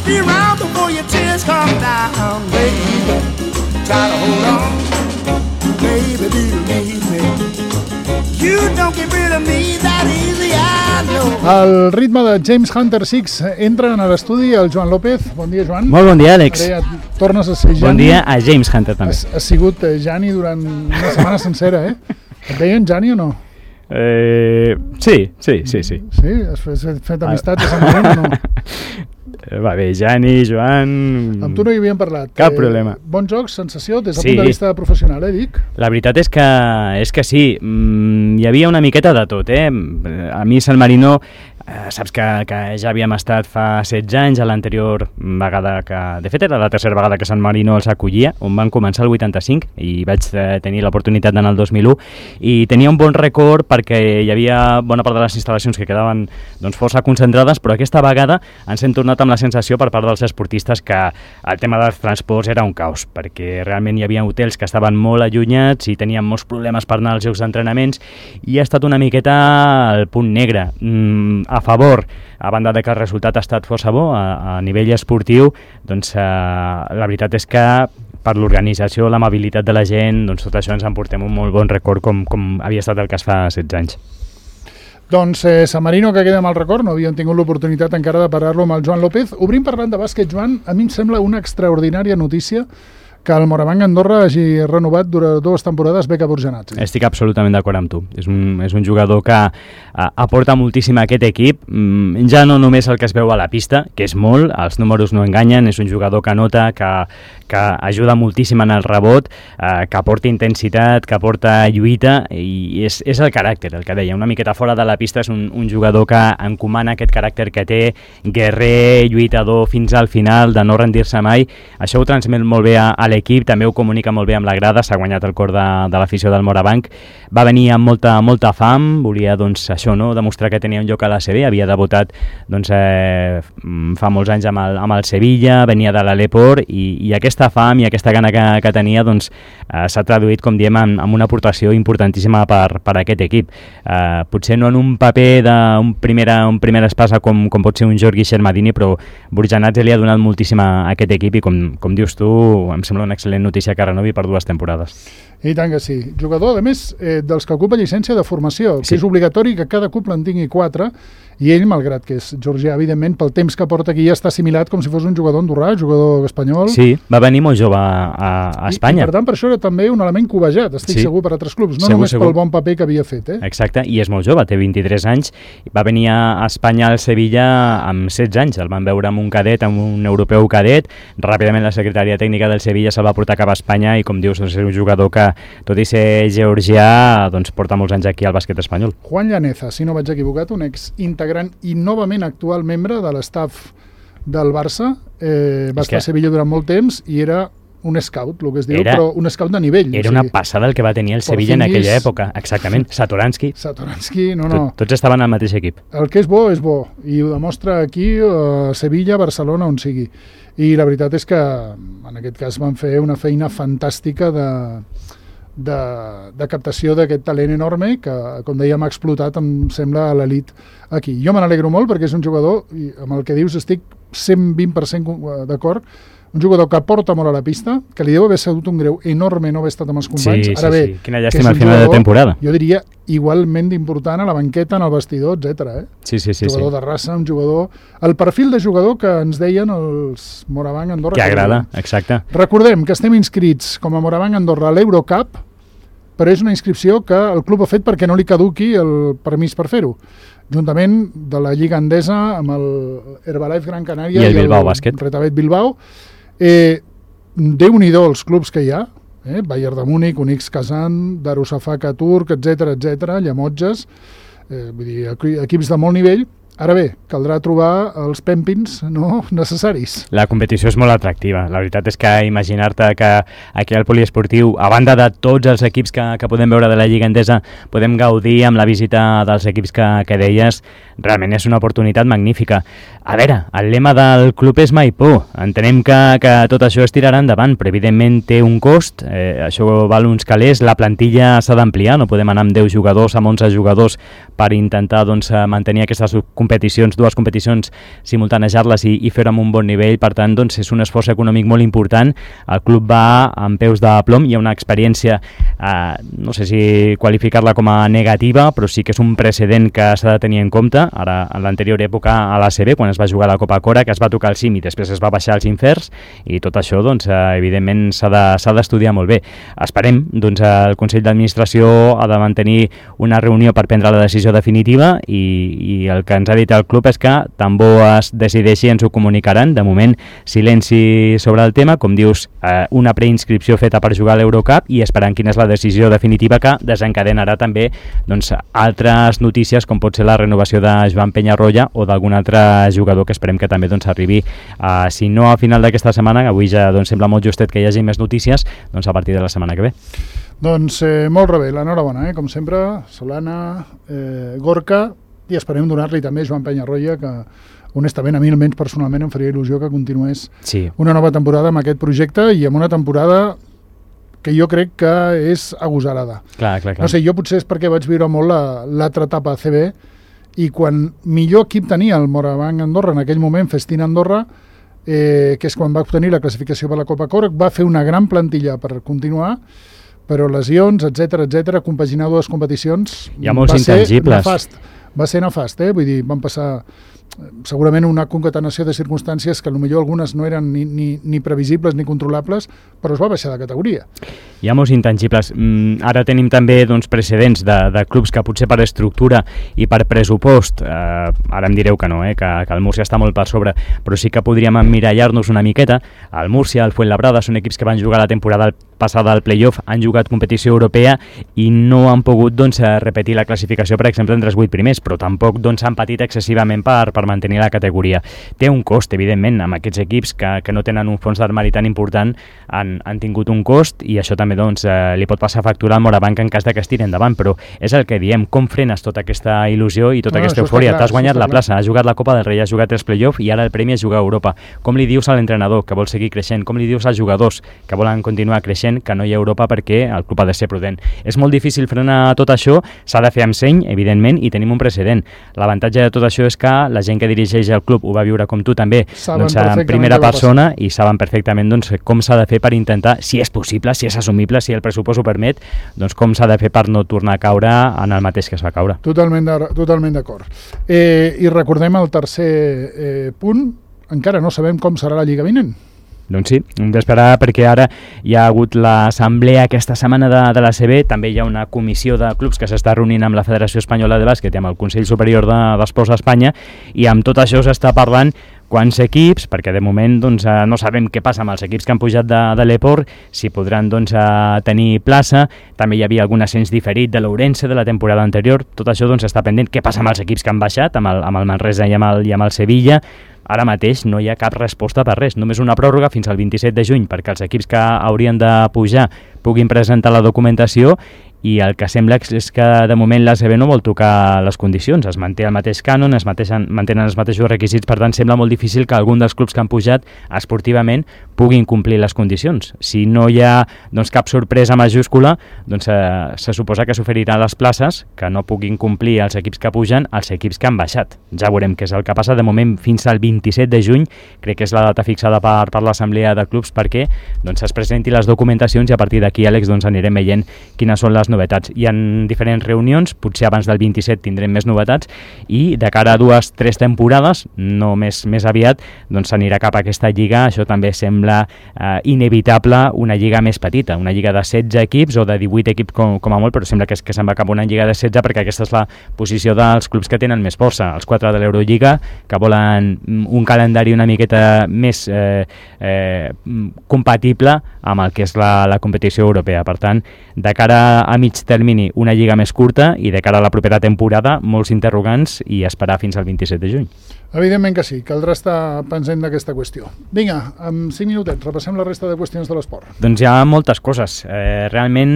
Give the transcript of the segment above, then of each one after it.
I'll be around before your tears come down, baby. Try to hold on, baby, believe me. You don't get rid of me that easy, I know. Al ritme de James Hunter 6 entra a l'estudi el Joan López. Bon dia, Joan. Molt bon dia, Àlex. Ara ja tornes a ser Jani. Bon dia a James Hunter, també. Has sigut Jani durant una setmana sencera, eh? Et deien Jani o no? Sí. Sí? Has fet amistats a Sant Marino o no? Va bé, Jani, Joan... Amb tu no hi havíem parlat. Cap problema. Bon joc, sensació, des del punt de vista professional, dic? La veritat és que sí. Hi havia una miqueta de tot, eh? A mi Sant Marino... saps que ja havíem estat fa 16 anys, a l'anterior vegada que... De fet, era la tercera vegada que Sant Marino els acollia, on van començar el 85, i vaig tenir l'oportunitat d'anar el 2001, i tenia un bon record perquè hi havia bona part de les instal·lacions que quedaven força concentrades, però aquesta vegada ens hem tornat amb la sensació per part dels esportistes que el tema dels transports era un caos, perquè realment hi havia hotels que estaven molt allunyats i tenien molts problemes per anar als llocs d'entrenaments, i ha estat una miqueta el punt negre. A favor, a banda de que el resultat ha estat força bo a nivell esportiu, doncs la veritat és que per l'organització, l'amabilitat de la gent, doncs tot això ens en portem un molt bon record com havia estat el cas fa 16 anys. Doncs Sant Marino, que queda amb el record, no havíem tingut l'oportunitat encara de parlar-lo amb el Joan López. Obrim parlant de bàsquet, Joan, a mi em sembla una extraordinària notícia que el Morabanc Andorra hagi renovat durant 2 temporades Beka Burjanats. Estic absolutament d'acord amb tu. És un jugador que aporta moltíssim a aquest equip, ja no només el que es veu a la pista, que és molt, els números no enganyen, és un jugador que nota, que ajuda moltíssim en el rebot, que aporta intensitat, que aporta lluita, i és el caràcter, el que deia. Una miqueta fora de la pista és un jugador que encomana aquest caràcter que té, guerrer, lluitador fins al final, de no rendir-se mai. Això ho transmet molt bé a l'equip, també ho comunica molt bé amb la grada, s'ha guanyat el cor de l'afició del Morabanc. Va venir amb molta fam, volia això, no? Demostrar que tenia un lloc a la CB, havia debutat fa molts anys amb el Sevilla, venia de l'Aleport, i aquesta fam i aquesta gana que tenia s'ha traduït, com diem, en una aportació importantíssima per aquest equip. Potser no en un paper d'un primer espasa com pot ser un Jordi Xermadini, però Burjanats li ha donat moltíssim a aquest equip, i com dius tu, em sembla una excel·lent notícia que renovi per 2 temporades. I tant que sí. Jugador, a més, dels que ocupa llicència de formació, que és obligatori que cada club en tingui 4, i ell, malgrat que és georgià, evidentment, pel temps que porta aquí ja està assimilat com si fos un jugador andorrà, jugador espanyol. Sí, va venir molt jove a Espanya. I per tant, per això era també un element cobejat, estic segur, per altres clubs, no només pel bon paper que havia fet. Exacte, i és molt jove, té 23 anys, va venir a Espanya al Sevilla amb 16 anys, el van veure amb un cadet, amb un europeu cadet, ràpidament la secretaria tècnica del Sevilla se'l va portar cap a Espanya, i com dius, és un jugador que, tot i ser georgià, porta molts anys aquí al bàsquet espanyol. Juan Llaneza, si no vaig equivocat, un ex-integrant i novament actual membre de l'estaf del Barça, va estar a Sevilla durant molt temps i era un scout, el que es diu, però un scout de nivell. Era una passada el que va tenir el Sevilla en aquella època, exactament. Satoransky, no. Tots estaven al mateix equip. El que és bo, i ho demostra aquí, a Sevilla, Barcelona, on sigui. I la veritat és que, en aquest cas, van fer una feina fantàstica de captació d'aquest talent enorme que, com dèiem, ha explotat, em sembla, a l'elit aquí. Jo me n'alegro molt perquè és un jugador, i amb el que dius estic 120% d'acord, un jugador que aporta molt a la pista, que li deu haver sigut un greu enorme no haver estat amb els companys. Sí, Ara bé, quina llàstima al final de temporada. Jo diria igualment d'important a la banqueta, en el vestidor, etc. Sí. Jugador de raça, un jugador... El perfil de jugador que ens deien els Morabanc Andorra. Que agrada, exacte. Recordem que estem inscrits com a Morabanc Andorra a l'Eurocup, però és una inscripció que el club ha fet perquè no li caduqui el permís per fer-ho, juntament de la Lliga Endesa amb el Herbalife Gran Canària i el Bilbao Bàsquet. Retavet Bilbao. Déu-n'hi-do els clubs que hi ha, Bayern de Múnich, Unix Kazan, Darusafaka Turk, etc, Llemotges, vull dir, equips de molt nivell. Ara bé, caldrà trobar els pèmpins necessaris. La competició és molt atractiva. La veritat és que imaginar-te que aquí al poliesportiu, a banda de tots els equips que podem veure de la Lliga Endesa, podem gaudir amb la visita dels equips que deies, realment és una oportunitat magnífica. A veure, el lema del club és mai por. Entenem que tot això es tirarà endavant, però evidentment té un cost, això val uns calés, la plantilla s'ha d'ampliar, no podem anar amb 10 jugadors, amb 11 jugadors per intentar mantenir aquesta competitivitat competicions, dues competicions, simultanejar-les i fer-ho amb un bon nivell. Per tant, doncs, és un esforç econòmic molt important. El club va amb peus de plom, hi ha una experiència, no sé si qualificar-la com a negativa, però sí que és un precedent que s'ha de tenir en compte. Ara, en l'anterior època a l'ACB, quan es va jugar la Copa Cora, que es va tocar el cim i després es va baixar als inferns, i tot això, doncs, evidentment, s'ha d'estudiar molt bé. Esperem, doncs, el Consell d'Administració ha de mantenir una reunió per prendre la decisió definitiva i el que ens ha dit el club és que tan bo es decideixi ens ho comunicaran. De moment, silenci sobre el tema, com dius, una preinscripció feta per jugar a l'Eurocup i esperant quina és la decisió definitiva que desencadenarà també, doncs, altres notícies com pot ser la renovació de Joan Peñarroya o d'algun altre jugador que esperem que també, doncs, arribi, si no a final d'aquesta setmana, avui ja, doncs, sembla molt justet que hi hagi més notícies, doncs a partir de la setmana que ve. Doncs molt rebé, l'enhorabona, com sempre, Solana, Gorka, i esperem donar-li també a Joan Peñarroya, que honestament a mi almenys personalment em faria il·lusió que continués una nova temporada amb aquest projecte i amb una temporada que jo crec que és agosarada. Clar. No sé, jo potser és perquè vaig viure molt l'altra etapa a CB i quan millor equip tenia el Morabanc Andorra en aquell moment, Festina Andorra, que és quan va obtenir la classificació per la Copa Corc, va fer una gran plantilla per continuar, però lesions, etc, compaginar dues competicions hi ha molts intangibles. Va ser nefast, vull dir, van passar segurament una concatenació de circumstàncies que potser algunes no eren ni previsibles ni controlables, però es va baixar de categoria. Hi ha molts intangibles. Ara tenim també, doncs, precedents de clubs que potser per estructura i per pressupost, ara em direu que no, que el Múrcia està molt per sobre, però sí que podríem emmirallar-nos una miqueta. El Múrcia, el Fuenlabrada, són equips que van jugar la temporada passada al play-off, han jugat competició europea i no han pogut, doncs, repetir la classificació, per exemple, entre els 8 primers, però tampoc, doncs, han patit excessivament per mantenir la categoria. Té un cost, evidentment, amb aquests equips que no tenen un fons d'armari tan important, han tingut un cost i això també, doncs, li pot passar factura al Morabanc en cas de que es tiri endavant, però és el que diem, com frenes tota aquesta il·lusió i tota aquesta eufòria? T'has guanyat la plaça, has jugat la Copa del Rei, has jugat els play-off i ara el premi és jugar a Europa. Com li dius a l'entrenador que vol seguir creixent? Com li dius als jugadors que volen continuar creixent que no hi ha Europa perquè el club ha de ser prudent? És molt difícil frenar tot això, s'ha de fer amb seny, evidentment, i tenim un precedent. L'avantatge de tot això és que la gent que dirigeix el club ho va viure com tu també, doncs, en primera persona, i saben perfectament, doncs, com s'ha de fer per intentar, si és possible, si és assumible, si el pressupost ho permet, doncs com s'ha de fer per no tornar a caure en el mateix que es va caure. Totalment d'acord. I recordem el tercer punt, encara no sabem com serà la Lliga vinent. Doncs sí, hem d'esperar perquè ara hi ha hagut l'assemblea aquesta setmana de l'ACB, també hi ha una comissió de clubs que s'està reunint amb la Federació Espanyola de Bàsquet i amb el Consell Superior d'Esports d'Espanya, i amb tot això s'està parlant quants equips, perquè de moment, doncs, no sabem què passa amb els equips que han pujat de l'Eport, si podran, doncs, tenir plaça. També hi havia algun ascens diferit de l'Ourense de la temporada anterior. Tot això, doncs, està pendent. Què passa amb els equips que han baixat, amb el Manresa i amb el Sevilla? Ara mateix no hi ha cap resposta per res, només una pròrroga fins al 27 de juny perquè els equips que haurien de pujar puguin presentar la documentació, i el que sembla és que de moment l'ACB no vol tocar les condicions, es manté el mateix cànon, mantenen els mateixos requisits, per tant sembla molt difícil que algun dels clubs que han pujat esportivament puguin complir les condicions. Si no hi ha, doncs, cap sorpresa majúscula, doncs se suposa que s'oferirà les places que no puguin complir els equips que pugen als equips que han baixat. Ja veurem què és el que passa. De moment fins al 27 de juny crec que és la data fixada per l'assemblea de clubs perquè, doncs, es presenti les documentacions i a partir d'aquí, Àlex, doncs, anirem veient quines són les novetats. Hi ha diferents reunions, potser abans del 27 tindrem més novetats, i de cara a 2-3 temporades, no més aviat, doncs s'anirà cap a aquesta lliga. Això també sembla inevitable, una lliga més petita, una lliga de 16 equips o de 18 equips com a molt, però sembla que se'n va cap a una lliga de 16 perquè aquesta és la posició dels clubs que tenen més força, els 4 de l'Eurolliga, que volen un calendari una miqueta més compatible amb el que és la competició europea. Per tant, de cara a mig termini, una lliga més curta, i de cara a la propera temporada, molts interrogants, i esperar fins al 27 de juny. Evidentment que sí, caldrà estar pensant d'aquesta qüestió. Vinga, en 5 minutets, repassem la resta de qüestions de l'esport. Doncs hi ha moltes coses. Realment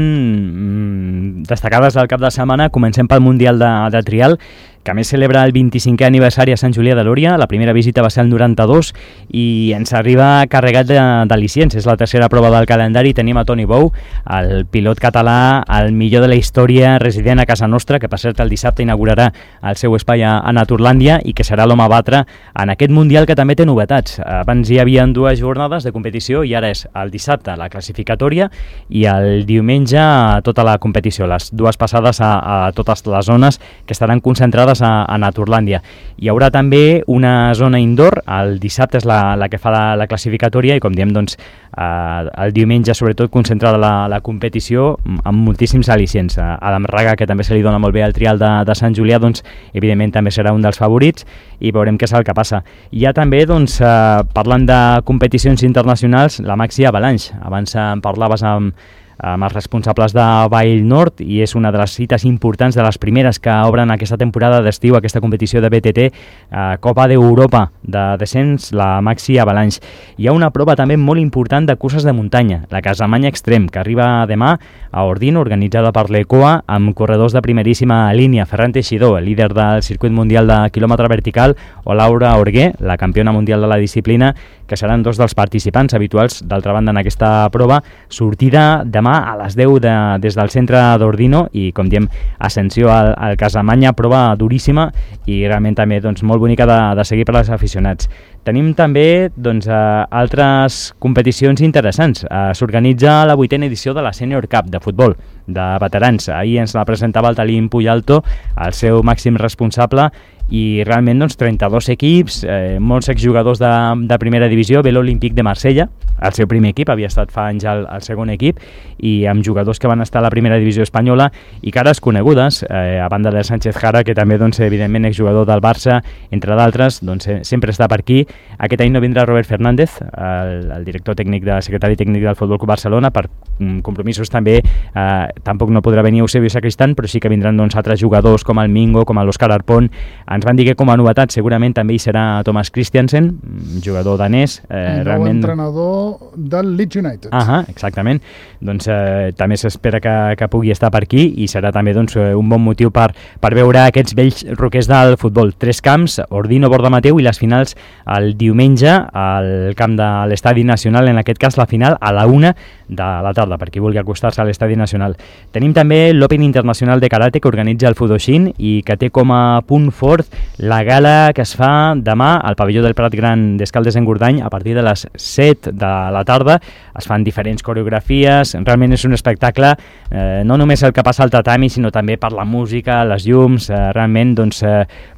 destacades del cap de setmana. Comencem pel Mundial de Trial, que a més celebra el 25è aniversari a Sant Julià de Lòria. La primera visita va ser el 92 i ens arriba carregat d'al·licients. És la tercera prova del calendari. Tenim a Toni Bou, el pilot català, el millor de la història, resident a casa nostra, que per cert el dissabte inaugurarà el seu espai a Naturlàndia i que serà l'home a batre en aquest Mundial, que també té novetats. Abans hi havia 2 jornades de competició i ara és el dissabte la classificatòria i el diumenge tota la competició, les 2 passades a totes les zones que estaran concentrades a Naturlàndia. Hi haurà també una zona indoor, el dissabte és la que fa la classificatòria i com diem doncs el diumenge sobretot concentrada la competició amb moltíssims al·licients. Adam Raga, que també se li dona molt bé el trial de Sant Julià, doncs evidentment també serà un dels favorits i veurem què és el que passa. Hi ha també, doncs, parlant de competicions internacionals, la Maxi Avalanche. Abans en parlaves amb els responsables de Vall Nord i és una de les cites importants, de les primeres que obren aquesta temporada d'estiu, aquesta competició de BTT, Copa d'Europa de descens, la Maxi Avalanche. Hi ha una prova també molt important de curses de muntanya, la Casamanya Extrem, que arriba demà a Ordino, organitzada per l'ECOA, amb corredors de primeríssima línia, Ferran Teixidor, el líder del circuit mundial de quilòmetre vertical, o Laura Orgué, la campiona mundial de la disciplina, que seran 2 dels participants habituals, d'altra banda, en aquesta prova. Sortida demà a les 10 des del centre d'Ordino i, com diem, ascensió al Casamanya, prova duríssima i realment també doncs, molt bonica de seguir per als aficionats. Tenim també doncs, altres competicions interessants. S'organitza la 8a edició de la Senior Cup de futbol de veterans. Ahir ens la presentava el Talim Puyalto, el seu màxim responsable, i realment doncs, 32 equips, molts exjugadors de primera divisió, ve l'Olímpic de Marsella, el seu primer equip, havia estat fa anys al segon equip, i amb jugadors que van estar a la primera divisió espanyola i cares conegudes, a banda de Sánchez Jara, que també doncs, evidentment exjugador del Barça, entre d'altres, doncs, sempre està per aquí. Aquest any no vindrà Robert Fernández, el director tècnic, secretari tècnic del Futbol Club Barcelona, per compromisos també, tampoc no podrà venir Eusebio Sacristán, però sí que vindran doncs, altres jugadors com el Mingo, com l'Òscar Arpón. Ens van dir que com a novetat segurament també hi serà Thomas Christiansen, jugador danès. Realment... entrenador del Leeds United. Exactament. Doncs també s'espera que pugui estar per aquí i serà també doncs, un bon motiu per veure aquests vells roquers del futbol. 3 camps, Ordino, Borda Mateu, i les finals el diumenge al camp de l'Estadi Nacional, en aquest cas la final a la 1 de la tarda, per qui vulgui acostar-se a l'Estadi Nacional. Tenim també l'Open Internacional de Karate, que organitza el Fudoshin i que té com a punt fort la gala que es fa demà al pavelló del Prat Gran d'Escaldes-Engordany a partir de les 7 de la tarda. Es fan diferents coreografies, realment és un espectacle, no només el que passa al tatami, sinó també per la música, les llums, realment doncs,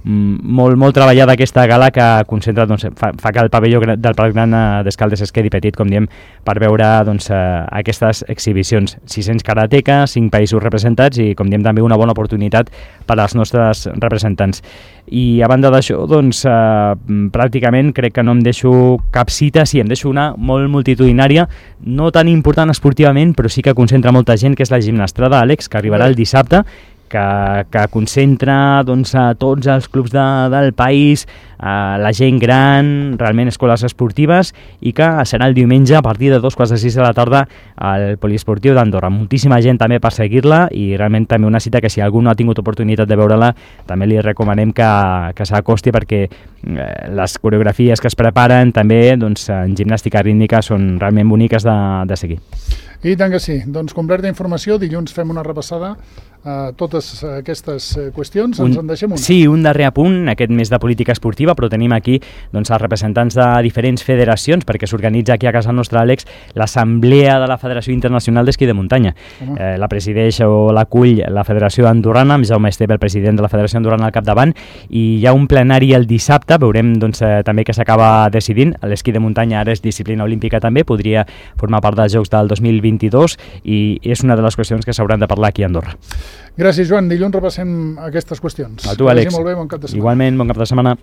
molt treballada aquesta gala que concentra, doncs, fa que el pavelló del Prat Gran d'Escaldes es quedi petit, com diem, per veure doncs, aquestes exhibicions. 600 karatekas, 5 països representats i, com diem, també una bona oportunitat per als nostres representants. I a banda d'això, doncs, pràcticament crec que no em deixo cap cita, sí, em deixo una molt multitudinària, no tan important esportivament, però sí que concentra molta gent, que és la gimnastrada, Àlex, que arribarà el dissabte, que concentra doncs, a tots els clubs del país, la gent gran, realment escoles esportives, i que serà el diumenge a partir de 2:45 de la tarda al Poliesportiu d'Andorra. Moltíssima gent també per seguir-la i realment també una cita que si algú no ha tingut oportunitat de veure-la també li recomanem que s'acosti, perquè les coreografies que es preparen també doncs, en gimnàstica rítmica són realment boniques de seguir. I tant que sí. Doncs completa informació, dilluns fem una repassada a totes aquestes qüestions. Ens en deixem una. Sí, un darrer apunt, aquest mes de política esportiva, però tenim aquí doncs, els representants de diferents federacions, perquè s'organitza aquí a casa nostra, Àlex, l'Assemblea de la Federació Internacional d'Esquí de Muntanya. La presideix o l'acull la Federació Andorrana, amb Jaume Esteve, el president de la Federació Andorrana al capdavant, i hi ha un plenari el dissabte, veurem doncs, també que s'acaba decidint. L'esquí de muntanya ara és disciplina olímpica també, podria formar part dels Jocs del 2022 i és una de les qüestions que s'hauran de parlar aquí a Andorra. Gràcies, Joan. Dilluns repassem aquestes qüestions. A tu, Àlex. Molt bé, bon cap de setmana. Igualment, bon cap de setmana.